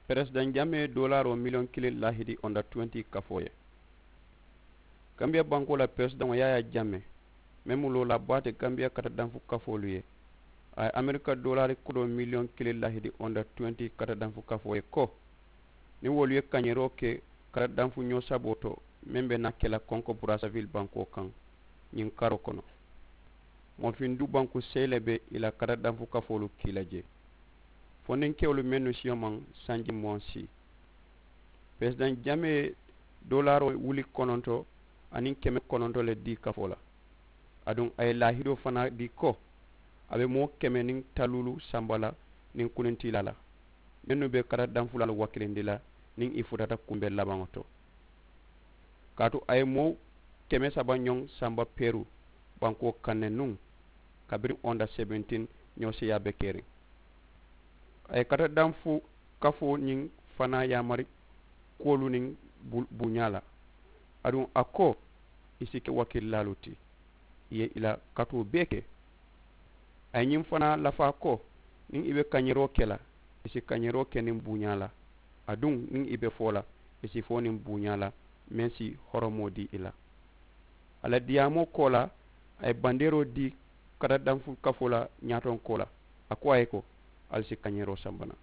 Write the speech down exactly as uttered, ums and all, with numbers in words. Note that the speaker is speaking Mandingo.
Peresidaŋ jamee doolaaroo miliyoŋ kiliŋ laahidi onda tuwenti kafoo ye. Gambiya bankoo la peresidaŋo yaayaa jamee, meŋ mu loolaa baa ti gambiya kata danfu kafoolu ye, a ye amerika doolaari kodoo miliyoŋ kiliŋ laahidi onda tuwenti kata danfu kafoo ye ko, niŋ wolu ye kañeeroo ke kata danfu ñoo saboo to, meŋ be naa ke la konko buraasavili bankoo kaŋ ñiŋ karoo kono, moofindu banku seyi le be i la kata danfu kafoolu kii la jee. Fondinkewolu mennu siyomaŋ sanji muwaŋ sii, peresidaŋ jamee ye doolaaroo wuli kononto aniŋ keme kononto le dii kafoo la. Aduŋ a ye laahidoo fanaa dii ko, a be moo keme niŋ taluulu samba la niŋ kunintiilaa la, mennu be kata danfulaalu wakilindi la niŋ i futata kumbe labaŋo to. Kaatu a ye moo keme saba ñoŋ samba peeru bankoo kaŋ ne nuŋ, kabiriŋ onda sebentin ñoo seeyaa be keriŋ. A ye kata danfu kafoo ñiŋ fanaa yaamari kuwolu niŋ buuñaa la. Aduŋ a ko, i si ke wakililaalu ti, i ye i la katoo bee ke. A ye ñiŋ fanaa lafaa ko, niŋ i be kañeeroo ke la, i si kañeeroo ke niŋ buuñaa la. Aduŋ niŋ i be foo la, i si foo niŋ buuñaa la, meŋ si horomoo dii i la. A la diyaamoo koolaa, a ye bandeeroo dii kata danfu kafoo la ñaatonkoo la, a ko a ye ko, ali si kañeeroo samba naŋ.